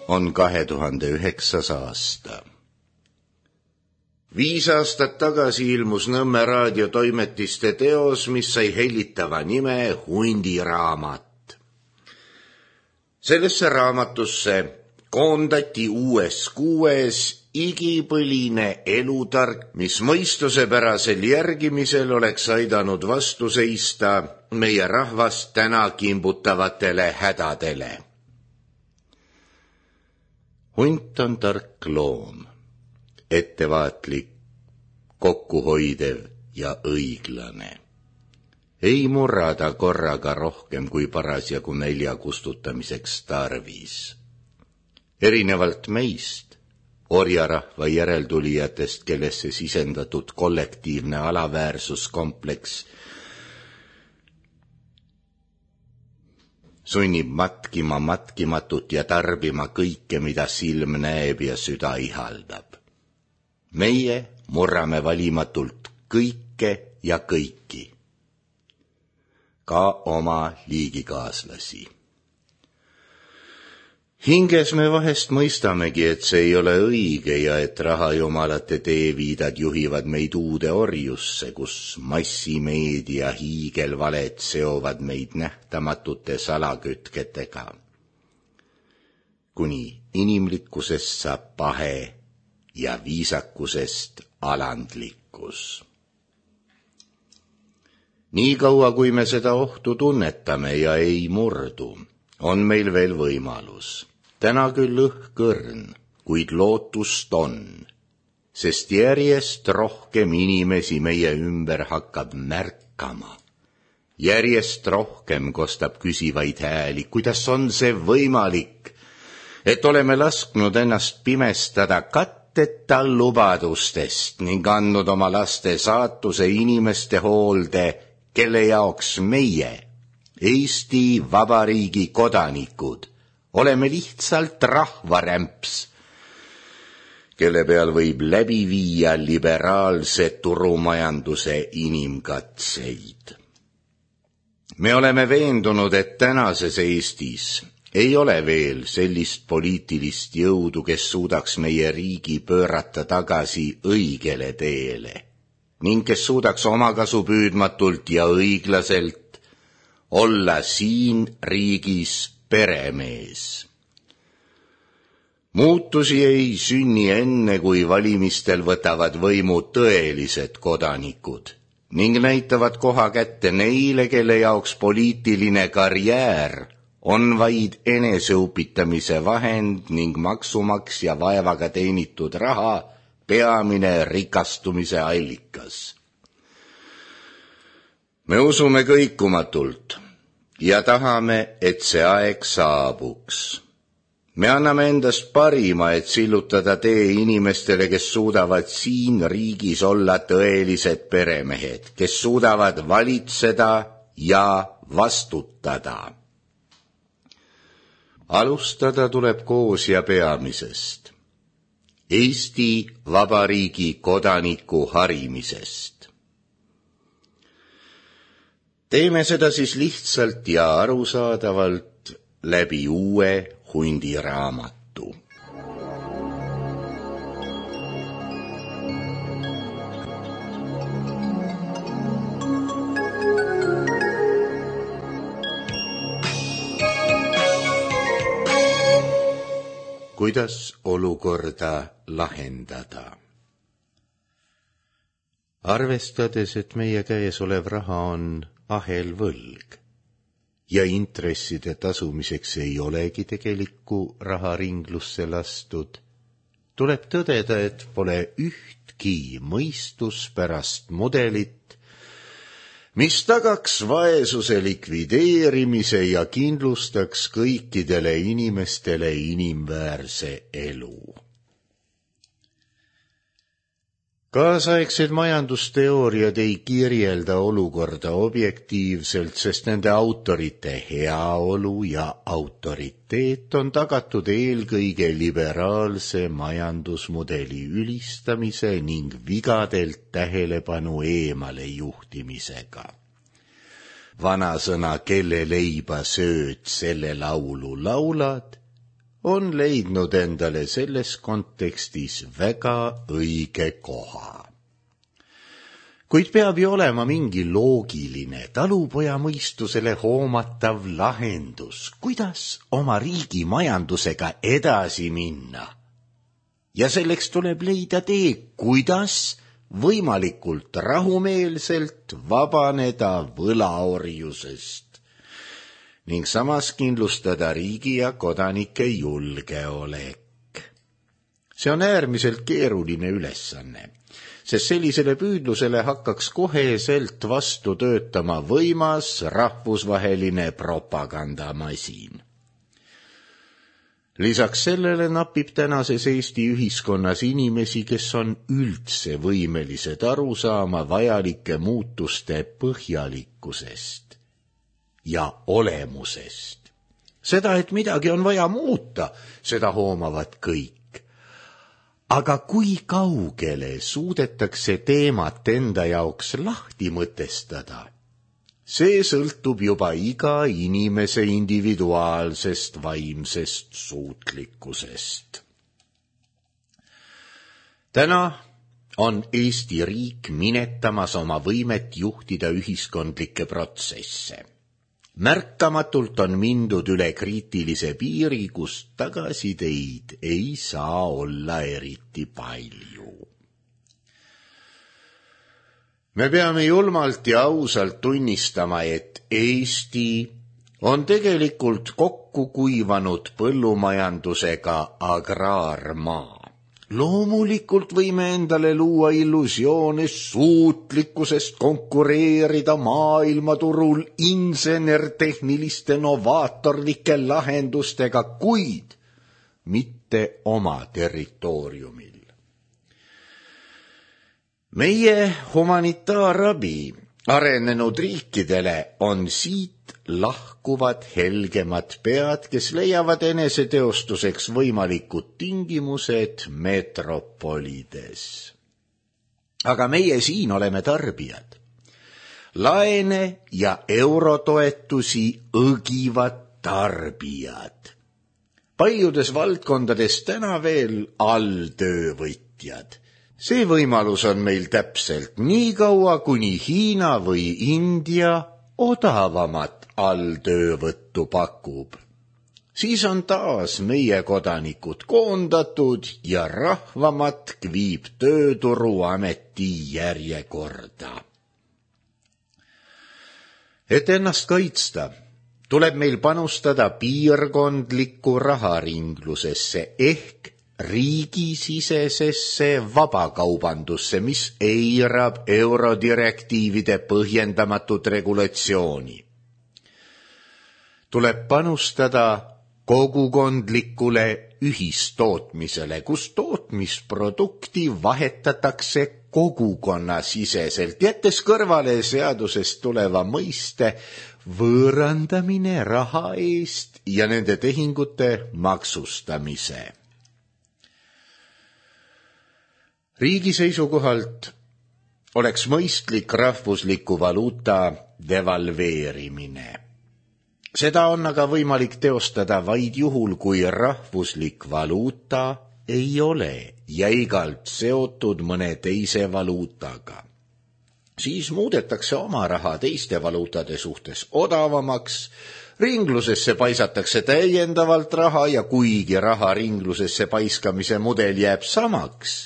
on 2009. aasta. 5 aastat tagasi ilmus Nõmme raadiotoimetiste teos, mis sai hellitava nime Hundiraamat. Sellesse raamatusse koondati uues 6 igipõline elutark, mis mõistusepärasel järgimisel oleks aidanud vastu seista meie rahvast täna kimbutavatele hädadele. Hunt on tark loom, ettevaatlik, kokkuhoidev ja õiglane. Ei murrada korraga rohkem kui parasjagu nälja kustutamiseks tarvis. Erinevalt meist, orjarahva järeltulijatest, kellesse sisendatud kollektiivne alaväärsuskompleks sunnib matkima matkimatut ja tarbima kõike, mida silm näeb ja süda ihaldab. Meie murrame valimatult kõike ja kõiki, ka oma liigikaaslasi. Hinges me vahest mõistamegi, et see ei ole õige ja et rahajumalate teeviidad juhivad meid uude orjusse, kus massimeedia hiigelvaled seovad meid nähtamatute salakütketega. Kuni inimlikkusest saab pahe ja viisakusest alandlikkus. Nii kaua, kui me seda ohtu tunnetame ja ei murdu, on meil veel võimalus. Täna küll õhkõrn, kuid lootust on, sest järjest rohkem inimesi meie ümber hakkab märkama. Järjest rohkem kostab küsivaid hääli, kuidas on see võimalik, et oleme lasknud ennast pimestada katteta lubadustest ning andnud oma laste saatuse inimeste hoolde, kelle jaoks meie, Eesti Vabariigi kodanikud, oleme lihtsalt rahvarämps, kelle peal võib läbi viia liberaalse turumajanduse inimkatseid. Me oleme veendunud, et tänases Eestis ei ole veel sellist poliitilist jõudu, kes suudaks meie riigi pöörata tagasi õigele teele ning kes suudaks omakasupüüdmatult ja õiglaselt olla siin riigis peremees. Muutusi ei sünni enne, kui valimistel võtavad võimu tõelised kodanikud ning näitavad koha kätte neile, kelle jaoks poliitiline karjäär on vaid eneseupitamise vahend ning maksumaksja vaevaga teenitud raha peamine rikastumise allikas. Me usume kõikumatult ja tahame, et see aeg saabuks. Me anname endast parima, et sillutada tee inimestele, kes suudavad siin riigis olla tõelised peremehed, kes suudavad valitseda ja vastutada. Alustada tuleb koos ja peamisest, Eesti Vabariigi kodaniku harimisest. Teeme seda siis lihtsalt ja arusaadavalt läbi uue Hundiraamatu. Kuidas olukorda lahendada? Arvestades, et meie käes olev raha on ahelvõlg ja intresside tasumiseks ei olegi tegelikku raharinglusse lastud, tuleb tõdeda, et pole ühtki mõistuspärast mudelit, mis tagaks vaesuse likvideerimise ja kindlustaks kõikidele inimestele inimväärse elu. Kaasaegsed majandusteooriad ei kirjelda olukorda objektiivselt, sest nende autorite heaolu ja autoriteet on tagatud eelkõige liberaalse majandusmudeli ülistamise ning vigadelt tähelepanu eemale juhtimisega. Vanasõna, kelle leiba sööd, selle laulu laulad, on leidnud endale selles kontekstis väga õige koha. Kuid peab ju olema mingi loogiline talupoja mõistusele hoomatav lahendus, kuidas oma riigi majandusega edasi minna. Ja selleks tuleb leida tee, kuidas võimalikult rahumeelselt vabaneda võlaorjusest ning samas kindlustada riigi ja kodanike julgeolek. See on äärmiselt keeruline ülesanne, sest sellisele püüdlusele hakkaks koheselt vastu töötama võimas rahvusvaheline propagandamasin. Lisaks sellele napib tänases Eesti ühiskonnas inimesi, kes on üldse võimelised aru saama vajalike muutuste põhjalikkusest ja olemusest. Seda, et midagi on vaja muuta, seda hoomavad kõik. Aga kui kaugele suudetakse teemat enda jaoks lahti mõtestada? See sõltub juba iga inimese individuaalsest vaimsest suutlikkusest. Täna on Eesti riik minetamas oma võimet juhtida ühiskondlikke protsesse. Märkamatult on mindud üle kriitilise piiri, kus tagasiteid ei saa olla eriti palju. Me peame julmalt ja ausalt tunnistama, et Eesti on tegelikult kokku kuivanud põllumajandusega agraarmaa. Loomulikult võime endale luua illusioone suutlikkusest konkureerida maailmaturul insenertehniliste novaatorlike lahendustega, kuid mitte oma territooriumil. Meie humanitaarabi arenenud riikidele on siit lahkuvad helgemad pead, kes leiavad eneseteostuseks võimalikud tingimused metropolides. Aga meie siin oleme tarbijad. Laene ja eurotoetusi õgivad tarbijad. Paljudes valdkondades täna veel alltöövõtjad. See võimalus on meil täpselt nii kaua, kuni Hiina või India odavamat alltöövõttu pakub. Siis on taas meie kodanikud koondatud ja rahvamatk viib tööturuameti järjekorda. Et ennast kaitsta, tuleb meil panustada piirkondlikku raharinglusesse ehk riigisisesesse vabakaubandusse, mis eirab eurodirektiivide põhjendamatut regulatsiooni. Tuleb panustada kogukondlikule ühistootmisele, kus tootmisprodukti vahetatakse kogukonnasiseselt, jättes kõrvale seadusest tuleva mõiste võõrandamine raha eest ja nende tehingute maksustamise. Riigi seisukohalt oleks mõistlik rahvusliku valuuta devalveerimine. Seda on aga võimalik teostada vaid juhul, kui rahvuslik valuuta ei ole jäigalt seotud mõne teise valuutaga. Siis muudetakse oma raha teiste valuutade suhtes odavamaks, ringlusesse paisatakse täiendavalt raha ja kuigi raha ringlusesse paiskamise mudel jääb samaks,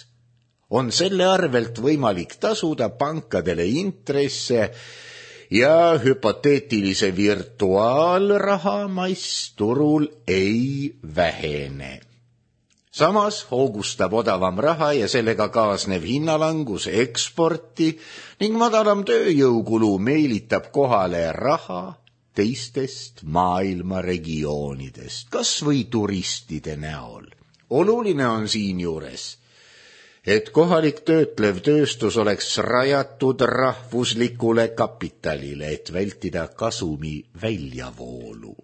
on selle arvelt võimalik tasuda pankadele intresse ja hüpoteetilise virtuaalraha mass turul ei vähene. Samas hoogustab odavam raha ja sellega kaasnev hinnalangus eksporti ning madalam tööjõukulu meelitab kohale raha teistest maailma regioonidest, kas või turistide näol. Oluline on siinjuures, et kohalik töötlev tööstus oleks rajatud rahvuslikule kapitalile, et vältida kasumi väljavoolu.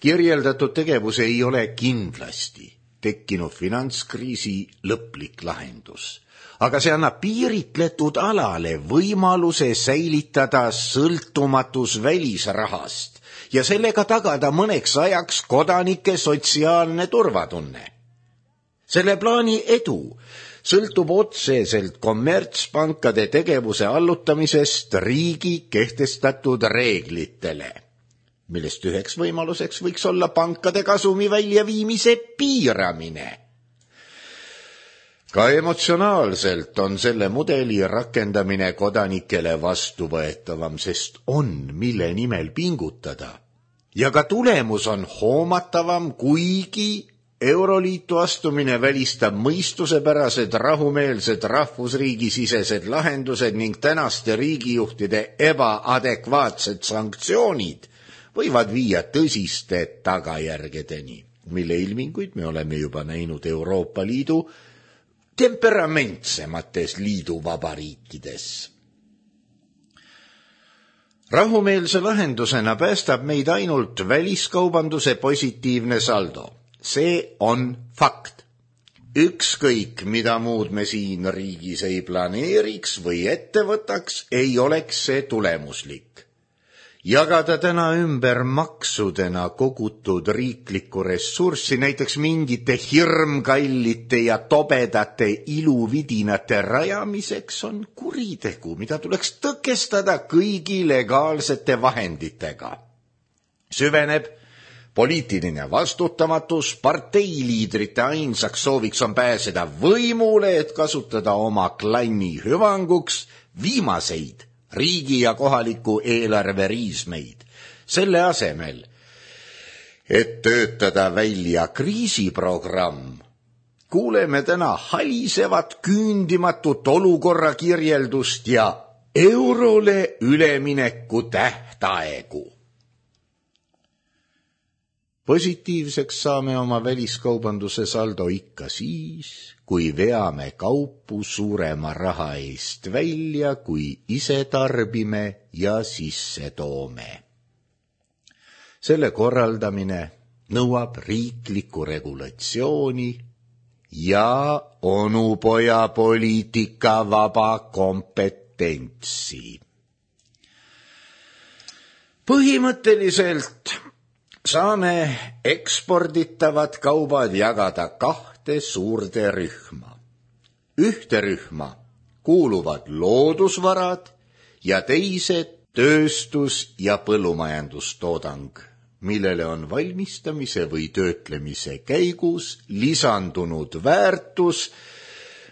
Kirjeldatud tegevus ei ole kindlasti tekkinud finantskriisi lõplik lahendus, aga see annab piiritletud alale võimaluse säilitada sõltumatus välisrahast ja sellega tagada mõneks ajaks kodanike sotsiaalne turvatunne. Selle plaani edu sõltub otseselt kommertspankade tegevuse allutamisest riigi kehtestatud reeglitele, millest üheks võimaluseks võiks olla pankade kasumi väljaviimise piiramine. Ka emotsionaalselt on selle mudeli rakendamine kodanikele vastuvõetavam, sest on mille nimel pingutada. Ja ka tulemus on hoomatavam, kuigi Euroliitu astumine välistab mõistusepärased rahumeelsed rahvusriigisisesed lahendused ning tänaste riigijuhtide ebaadekvaatsed sanktsioonid võivad viia tõsiste tagajärgedeni, mille ilminguid me oleme juba näinud Euroopa Liidu temperamentsemates liiduvabariikides. Rahumeelse lahendusena päästab meid ainult väliskaubanduse positiivne saldo. See on fakt. Ükskõik, mida muud me siin riigis ei planeeriks või ette võtaks, ei oleks see tulemuslik. Jagada täna ümber maksudena kogutud riiklikku ressurssi näiteks mingite hirmkallite ja tobedate iluvidinate rajamiseks on kuritegu, mida tuleks tõkestada kõigi legaalsete vahenditega. Süveneb poliitiline vastutamatus, parteiliidrite ainsaks sooviks on pääseda võimule, et kasutada oma klanni hüvanguks viimaseid riigi ja kohaliku eelarve riismeid. Selle asemel, et töötada välja kriisiprogramm, kuuleme täna halisevat küündimatut olukorra kirjeldust ja eurole ülemineku tähtaegu. Positiivseks saame oma väliskaubanduse saldo ikka siis, kui veame kaupu suurema raha eest välja, kui ise tarbime ja sisse toome. Selle korraldamine nõuab riiklikku regulatsiooni ja onupoja poliitika vaba kompetentsi. Põhimõtteliselt saame eksporditavad kaubad jagada kahte suurde rühma. Ühte rühma kuuluvad loodusvarad ja teised tööstus- ja põllumajandustoodang, millele on valmistamise või töötlemise käigus lisandunud väärtus,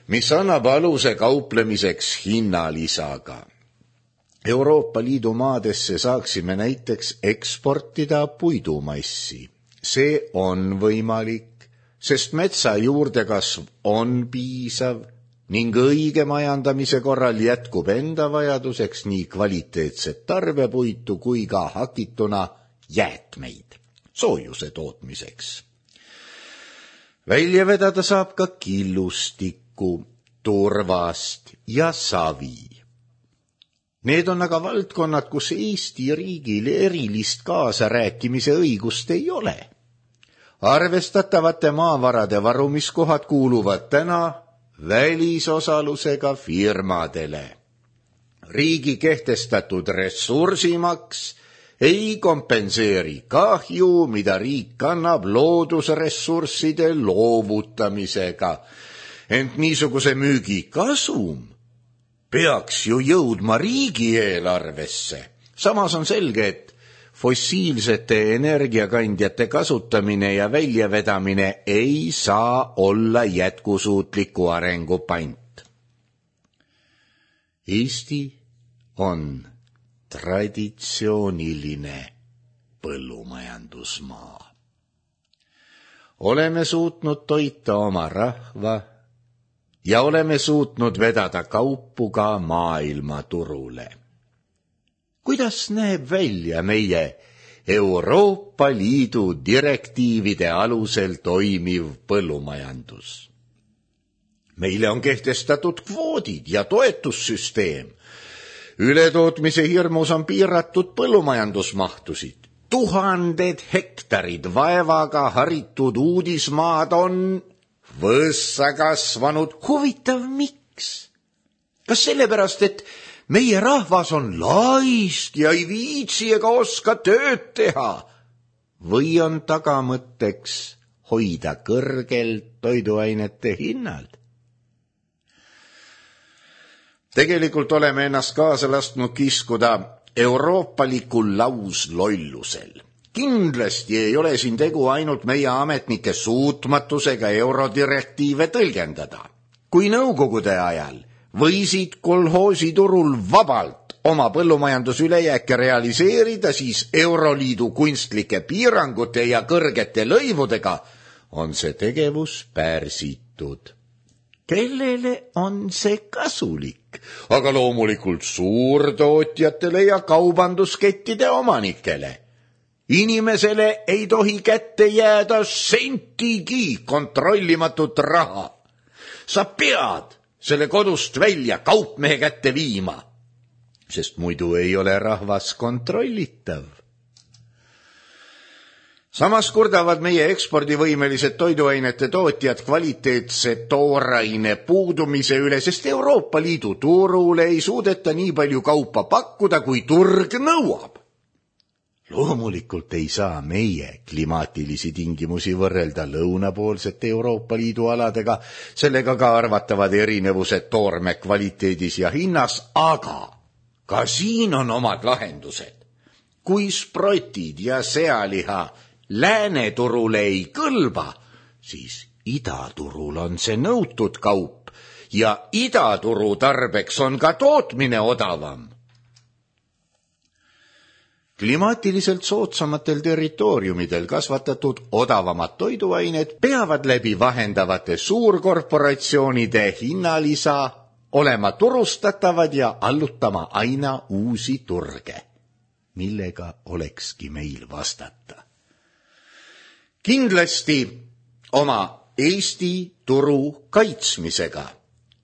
mis annab aluse kauplemiseks hinnalisaga. Euroopa Liidu maadesse saaksime näiteks eksportida puidumassi. See on võimalik, sest metsa juurdekasv on piisav ning õige majandamise korral jätkub enda vajaduseks nii kvaliteetset tarbepuitu kui ka hakituna jäätmeid soojuse tootmiseks. Välja vedada saab ka killustikku, turvast ja savi. Need on aga valdkonnad, kus Eesti riigil erilist kaasarääkimise õigust ei ole. Arvestatavate maavarade varumiskohad kuuluvad täna välisosalusega firmadele. Riigi kehtestatud ressursimaks ei kompenseeri kahju, mida riik kannab loodusressursside loovutamisega, ent niisuguse müügi kasum peaks ju jõudma riigieelarvesse. Samas on selge, et fossiilsete energiakandjate kasutamine ja väljavedamine ei saa olla jätkusuutliku arengu pant. Eesti on traditsiooniline põllumajandusmaa. Oleme suutnud toita oma rahva ja oleme suutnud vedada kaupu ka maailmaturule. Kuidas näeb välja meie Euroopa Liidu direktiivide alusel toimiv põllumajandus? Meile on kehtestatud kvoodid ja toetussüsteem. Ületootmise hirmus on piiratud põllumajandusmahtusid. 1000 hektarid vaevaga haritud uudismaad on võssa kasvanud. Huvitav, miks? Kas sellepärast, et meie rahvas on laisk ja ei viitsi ega oska tööd teha. Või on tagamõtteks hoida kõrgelt toiduainete hinnad? Tegelikult oleme ennast kaasa lasknud kiskuda euroopalikul lauslollusel. Kindlasti ei ole siin tegu ainult meie ametnike suutmatusega eurodirektiive tõlgendada. Kui nõukogude ajal võisid kolhoositurul vabalt oma põllumajandusülejääke realiseerida, siis Euroliidu kunstlike piirangute ja kõrgete lõivudega on see tegevus pärsitud. Kellele on see kasulik? Aga loomulikult suurtootjatele ja kaubanduskettide omanikele. Inimesele ei tohi kätte jääda sentigi kontrollimatut raha. Sa pead selle kodust välja kaupmehe kätte viima, sest muidu ei ole rahvas kontrollitav. Samas kurdavad meie ekspordivõimelised toiduainete tootjad kvaliteetse tooraine puudumise üle, sest Euroopa Liidu turule ei suudeta nii palju kaupa pakkuda, kui turg nõuab. Loomulikult ei saa meie klimaatilisi tingimusi võrrelda lõunapoolsete Euroopa Liidu aladega, sellega ka arvatavad erinevused toorme kvaliteedis ja hinnas, aga ka siin on omad lahendused. Kui sprotid ja sealiha lääneturule ei kõlba, siis idaturul on see nõutud kaup ja idaturu tarbeks on ka tootmine odavam. Klimaatiliselt soodsamatel territooriumidel kasvatatud odavamad toiduained peavad läbi vahendavate suurkorporatsioonide hinnalisa olema turustatavad ja allutama aina uusi turge, millega olekski meil vastata. Kindlasti oma Eesti turu kaitsmisega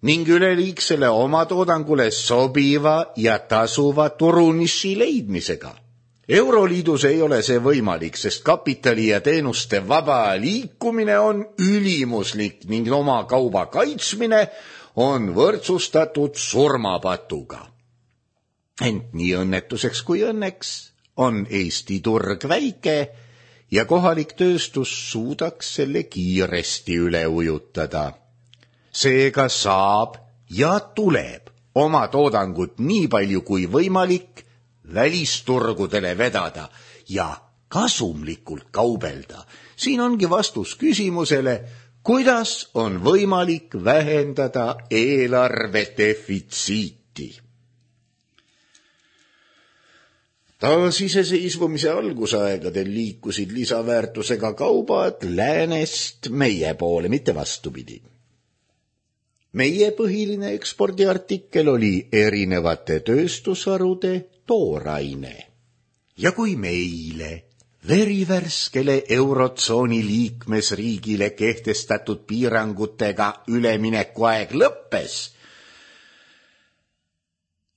ning üleliigsele oma toodangule sobiva ja tasuva turuniši leidmisega. Euroliidus ei ole see võimalik, sest kapitali ja teenuste vaba liikumine on ülimuslik ning oma kauba kaitsmine on võrdsustatud surmapatuga. Ent nii õnnetuseks kui õnneks on Eesti turg väike ja kohalik tööstus suudaks selle kiiresti üle ujutada. Seega saab ja tuleb oma toodangut nii palju kui võimalik välisturgudele vedada ja kasumlikult kaubelda. Siin ongi vastus küsimusele, kuidas on võimalik vähendada eelarve defitsiiti. Taasiseseisvumise algusaegadel liikusid lisaväärtusega kaubad läänest meie poole, mitte vastupidi. Meie põhiline ekspordiartikkel oli erinevate tööstusharude tooraine. Ja kui meile, verivärskele eurotsooni liikmesriigile kehtestatud piirangutega üleminekuaeg lõppes,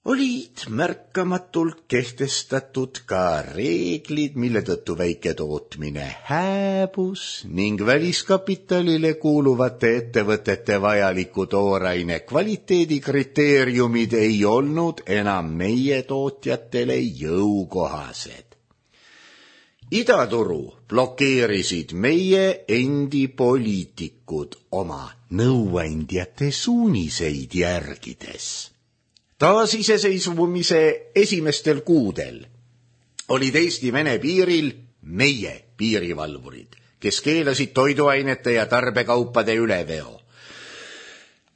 olid märkamatult kehtestatud ka reeglid, mille tõttu väiketootmine hääbus ning väliskapitalile kuuluvate ettevõtete vajaliku tooraine kvaliteedikriteeriumid ei olnud enam meie tootjatele jõukohased. Idaturu blokeerisid meie endi poliitikud oma nõuandjate suuniseid järgides. Taasiseseisvumise esimestel kuudel olid Eesti-Vene piiril meie piirivalvurid, kes keelasid toiduainete ja tarbekaupade üleveo.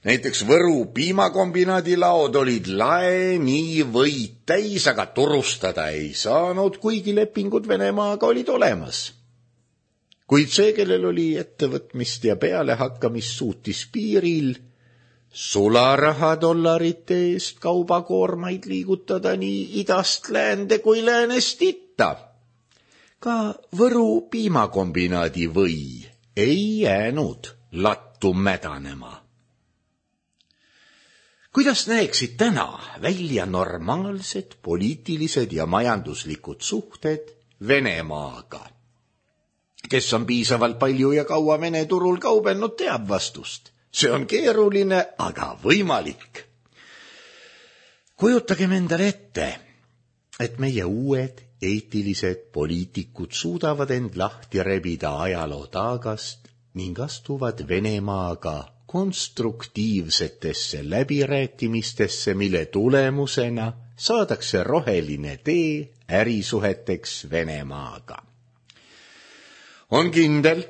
Näiteks Võru piimakombinaadi laod olid lae nii võid täis, aga turustada ei saanud, kuigi lepingud Venemaaga olid olemas. Kuid see, kellel oli ettevõtmist ja pealehakkamist, suutis piiril sularaha-dollarite eest kaubakoormaid liigutada nii idast läände kui läänest itta. Ka Võru piimakombinaadi või ei jäänud lattu mädanema. Kuidas näeksid täna välja normaalsed poliitilised ja majanduslikud suhted Venemaaga? Kes on piisavalt palju ja kaua Vene turul kaubelnud, teab vastust. See on keeruline, aga võimalik. Kujutagem endale ette, et meie uued eetilised poliitikud suudavad end lahti rebida ajaloo taagast ning astuvad Venemaaga konstruktiivsetesse läbirääkimistesse, mille tulemusena saadakse roheline tee ärisuheteks Venemaaga. On kindel,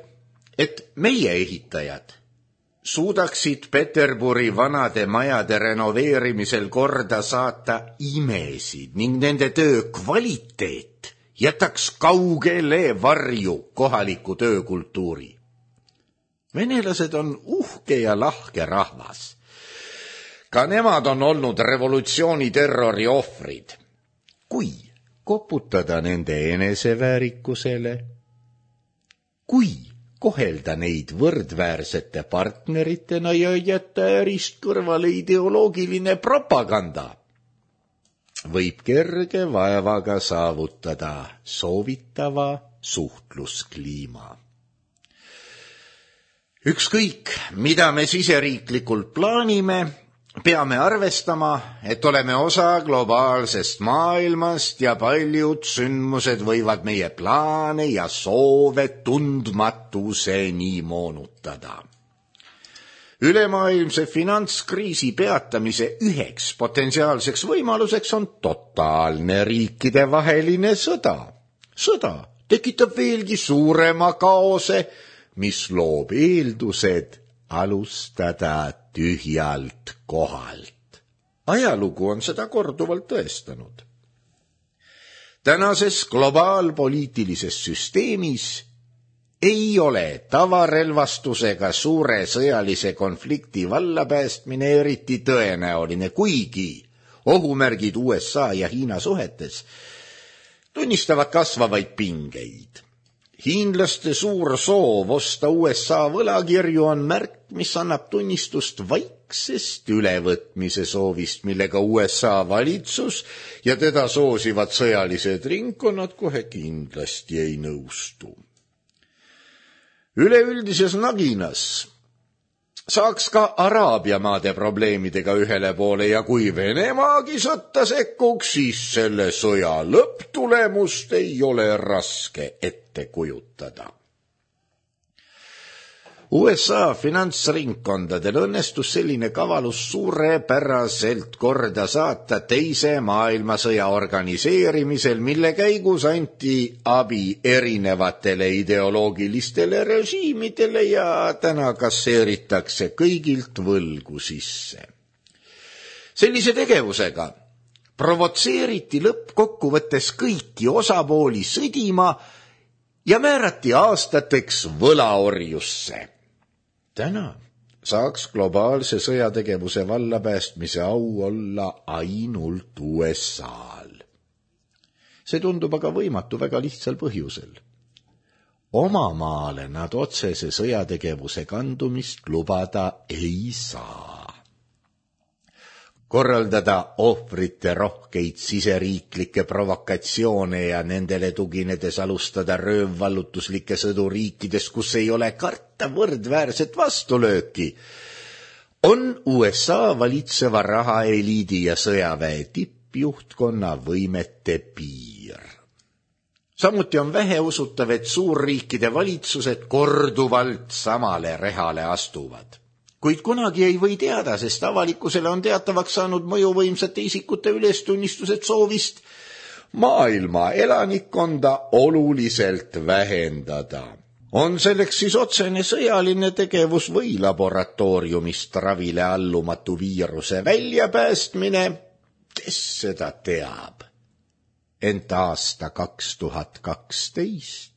et meie ehitajad suudaksid Peterburi vanade majade renoveerimisel korda saata imesid ning nende töö kvaliteet jätaks kaugele varju kohaliku töökultuuri. Venelased on uhke ja lahke rahvas. Ka nemad on olnud revolutsiooni terrori ohvrid. Kui koputada nende eneseväärikusele, kui kohelda neid võrdväärsete partneritena ja jätta ärist kõrvale ideoloogiline propaganda, võib kerge vaevaga saavutada soovitava suhtluskliima. Ükskõik, mida me siseriiklikult plaanime, peame arvestama, et oleme osa globaalsest maailmast ja paljud sündmused võivad meie plaane ja soove tundmatuseni moonutada. Ülemaailmse finantskriisi peatamise üheks potentsiaalseks võimaluseks on totaalne riikidevaheline sõda. Sõda tekitab veelgi suurema kaose, mis loob eeldused alustada tühjalt kohalt. Ajalugu on seda korduvalt tõestanud. Tänases globaalpoliitilises süsteemis ei ole tavarelvastusega suure sõjalise konflikti vallapäästmine eriti tõenäoline, kuigi ohumärgid USA ja Hiina suhetes tunnistavad kasvavaid pingeid. Hiinlaste suur soov osta USA võlakirju on märk, mis annab tunnistust vaiksest ülevõtmise soovist, millega USA valitsus ja teda soosivad sõjalised ringkonnad kohe kindlasti ei nõustu. Üleüldises naginas saaks ka Araabia maade probleemidega ühele poole ja kui Venemaagi sõtta sekkuks, siis selle sõja lõpptulemust ei ole raske ette kujutada. USA finantsringkondadel õnnestus selline kavalus suurepäraselt korda saata teise maailmasõja organiseerimisel, mille käigus anti abi erinevatele ideoloogilistele režiimidele ja täna kasseeritakse kõigilt võlgu sisse. Sellise tegevusega provotseeriti lõppkokkuvõttes kõiki osapooli sõdima ja määrati aastateks võlaorjusse. Täna saaks globaalse sõjategevuse vallapäästmise au olla ainult USA-l. See tundub aga võimatu väga lihtsal põhjusel. Oma maale nad otsese sõjategevuse kandumist lubada ei saa. Korraldada ohvrite rohkeid siseriiklikke provokatsioone ja nendele tuginedes alustada röövvallutuslikke sõdu riikides, kus ei ole karta võrdväärset vastulööki, on USA valitseva rahaeliidi ja sõjaväe tippjuhtkonna võimete piir. Samuti on väheusutav, et suurriikide valitsused korduvalt samale rehale astuvad. Kuid kunagi ei või teada, sest avalikkusele on teatavaks saanud mõjuvõimsate isikute ülestunnistused soovist maailma elanikkonda oluliselt vähendada. On selleks siis otsene sõjaline tegevus või laboratooriumist ravile allumatu viiruse väljapäästmine, kes seda teab. Ent aasta 2012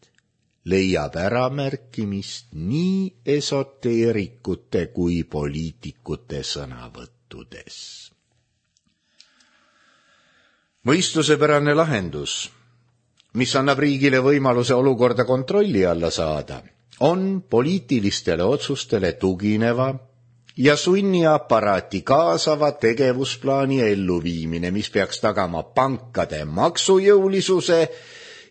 leiab äramärkimist nii esoteerikute kui poliitikute sõnavõttudes. Mõistusepärane lahendus, mis annab riigile võimaluse olukorda kontrolli alla saada, on poliitilistele otsustele tugineva ja sunniaparaati kaasava tegevusplaani elluviimine, mis peaks tagama pankade maksujõulisuse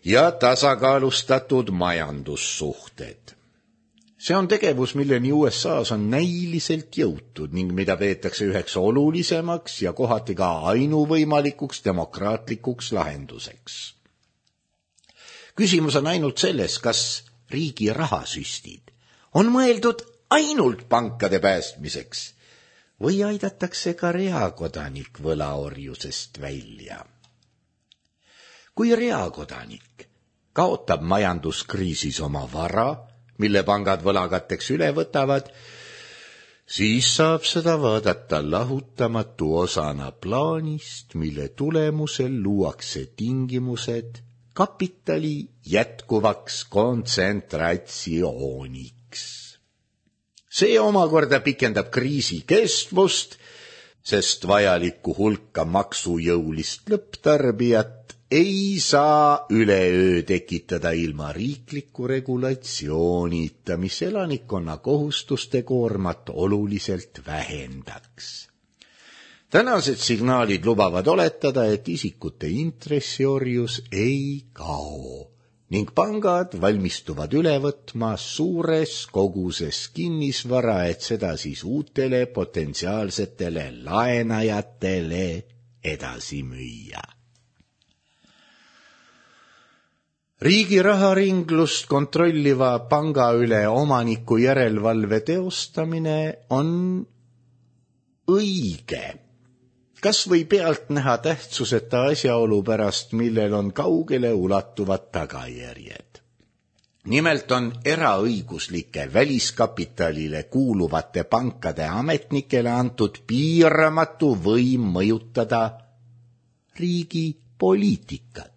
ja tasakaalustatud majandussuhted. See on tegevus, milleni USAs on näiliselt jõutud ning mida peetakse üheks olulisemaks ja kohati ka ainuvõimalikuks demokraatlikuks lahenduseks. Küsimus on ainult selles, kas riigi rahasüstid on mõeldud ainult pankade päästmiseks või aidatakse ka reakodanik võlaorjusest välja. Kui reakodanik kaotab majanduskriisis oma vara, mille pangad võlakatteks üle võtavad, siis saab seda vaadata lahutamatu osana plaanist, mille tulemusel luuakse tingimused kapitali jätkuvaks kontsentratsiooniks. See omakorda pikendab kriisi kestvust, sest vajalikku hulka maksujõulist lõpptarbijat ei saa üleöö tekitada ilma riikliku regulatsioonita, mis elanikkonna kohustuste koormat oluliselt vähendaks. Tänased signaalid lubavad oletada, et isikute intressiorjus ei kao ning pangad valmistuvad üle võtma suures koguses kinnisvara, et seda siis uutele potentsiaalsetele laenajatele edasi müüa. Riigi raharinglust kontrolliva panga üle omaniku järelevalve teostamine on õige, kas või pealt näha tähtsuseta asjaolu pärast, millel on kaugele ulatuvad tagajärjed. Nimelt on eraõiguslike väliskapitalile kuuluvate pankade ametnikele antud piiramatu võim mõjutada riigi poliitikat.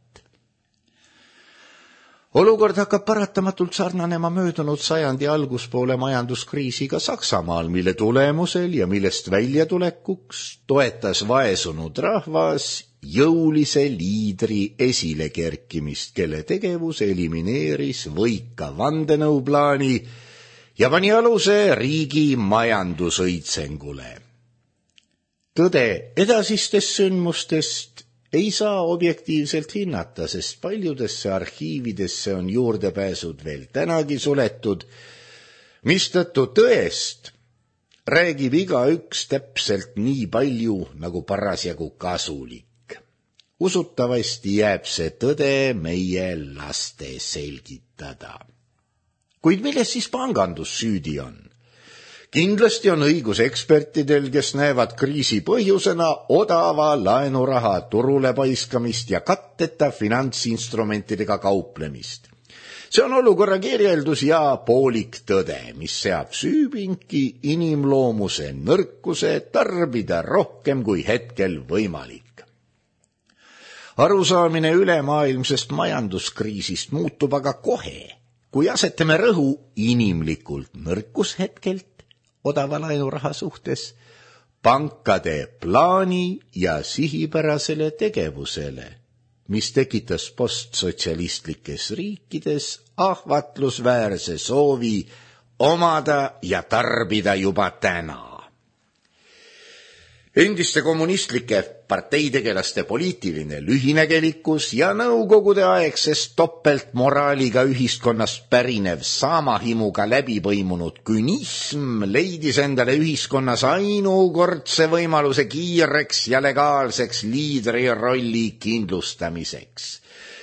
Olukord hakkab paratamatult sarnanema möödunud sajandi alguspoole majanduskriisiga Saksamaal, mille tulemusel ja millest väljatulekuks toetas vaesunud rahvas jõulise liidri esilekerkimist, kelle tegevus elimineeris võika vandenõuplaani ja pani aluse riigi majandusõitsengule. Tõde edasistest sündmustest ei saa objektiivselt hinnata, sest paljudesse arhiividesse on juurdepääsud veel tänagi suletud, mistõttu tõest räägib igaüks täpselt nii palju, nagu parasjagu kasulik. Usutavasti jääb see tõde meie laste selgitada. Kuid milles siis pangandus süüdi on? Kindlasti on õigus ekspertidel, kes näevad kriisi põhjusena odava laenuraha turule paiskamist ja katteta finantsinstrumentidega kauplemist. See on olukorra kirjeldus ja poolik tõde, mis seab süüpinki inimloomuse nõrkuse tarbida rohkem kui hetkel võimalik. Arusaamine ülemaailmsest majanduskriisist muutub aga kohe, kui asetame rõhu inimlikult nõrkushetkelt odava laenuraha suhtes pankade plaani ja sihipärasele tegevusele, mis tekitas postsotsialistlikes riikides ahvatlusväärse soovi omada ja tarbida juba täna. Endiste kommunistlike parteitegelaste poliitiline lühinägelikkus ja nõukogude aegsest topeltmoraaliga ühiskonnast pärinev saamahimuga läbipõimunud künism leidis endale ühiskonnas ainukordse võimaluse kiireks ja legaalseks liidri rolli kindlustamiseks.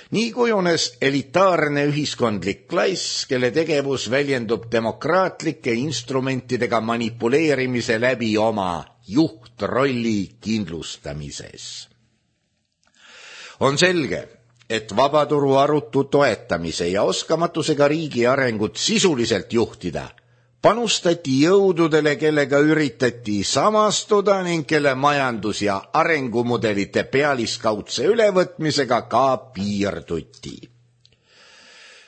Nii kujunes elitaarne ühiskondlik klass, kelle tegevus väljendub demokraatlike instrumentidega manipuleerimise läbi oma juhtrolli kindlustamises. On selge, et vabaturu arutu toetamise ja oskamatusega riigi arengut sisuliselt juhtida panustati jõududele, kellega üritati samastuda ning kelle majandus- ja arengumudelite pealiskaudse ülevõtmisega ka piirduti.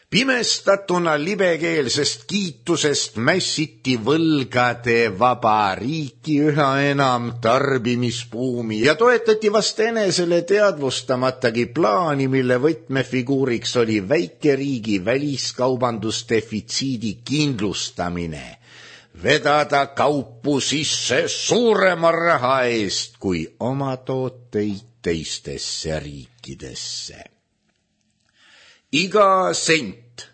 Pimestatuna libekeelsest kiitusest mässiti võlgade vaba riiki üha enam tarbimisbuumi ja toetati vast enesele teadvustamatagi plaani, mille võtmefiguuriks oli väikeriigi väliskaubandusdefitsiidi kindlustamine, vedada kaupu sisse suurema raha eest kui oma tooteid teistesse riikidesse. Iga sent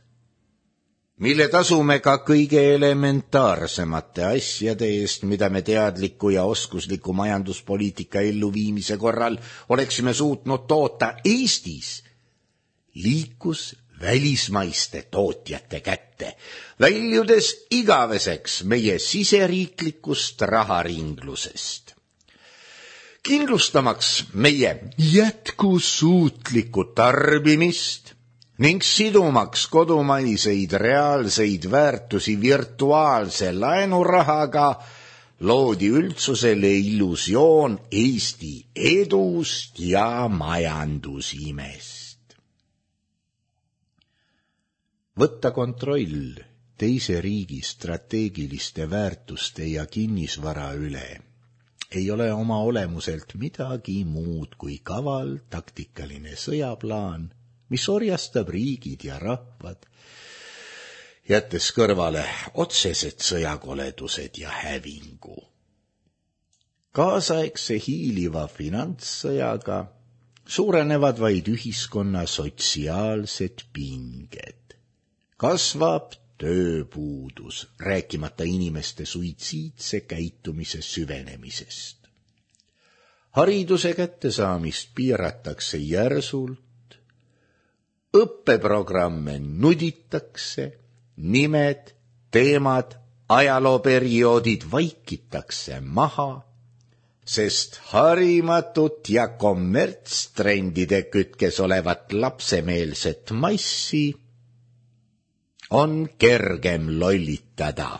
mille tasume ka kõige elementaarsemate asjade eest, mida me teadliku ja oskusliku majanduspoliitika elluviimise korral oleksime suutnud toota Eestis, liikus välismaiste tootjate kätte, väljudes igaveseks meie siseriiklikust raharinglusest. Kindlustamaks meie jätkusuutlikku tarbimist ning sidumaks kodumaiseid reaalseid väärtusi virtuaalse laenurahaga, loodi üldsusele illusioon Eesti edust ja majandusimest. Võtta kontroll teise riigi strateegiliste väärtuste ja kinnisvara üle ei ole oma olemuselt midagi muud kui kaval taktikaline sõjaplaan, mis orjastab riigid ja rahvad, jättes kõrvale otsesed sõjakoledused ja hävingu. Kaasaegse hiiliva finantssõjaga suurenevad vaid ühiskonna sotsiaalsed pinged. Kasvab tööpuudus, rääkimata inimeste suitsiidse käitumise süvenemisest. Hariduse kättesaamist piiratakse järsult, õppeprogramme nuditakse, nimed, teemad, ajalooperioodid vaikitakse maha, sest harimatut ja kommertstrendide kütkes olevat lapsemeelset massi on kergem lollitada.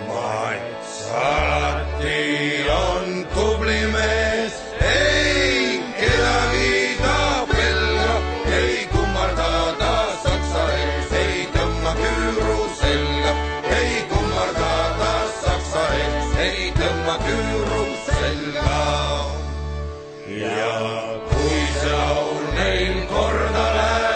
Mats alati on tubli mees, ei kedagi ta pelga, ei kummarda ta saksa ees, ei tõmma küüru selga, ei kummarda ta saksa ees, ei tõmma küüru selga. Ja kui see laul neil korda läheb,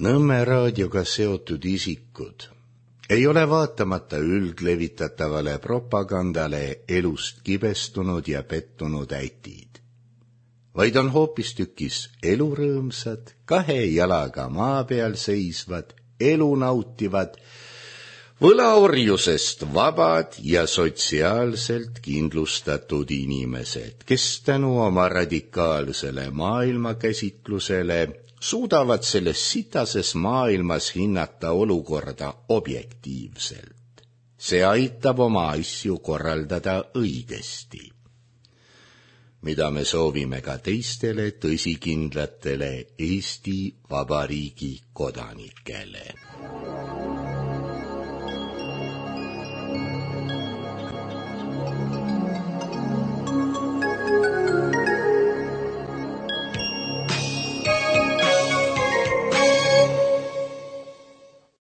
Nõmme raadioga seotud isikud ei ole vaatamata üldlevitatavale propagandale elust kibestunud ja pettunud ätid, vaid on hoopistükkis elurõõmsad, kahe jalaga maa peal seisvad, elu nautivad, võlaorjusest vabad ja sotsiaalselt kindlustatud inimesed, kes tänu oma radikaalsele maailmakäsitlusele suudavad selles sitases maailmas hinnata olukorda objektiivselt. See aitab oma asju korraldada õigesti, mida me soovime ka teistele tõsikindlatele Eesti Vabariigi kodanikele.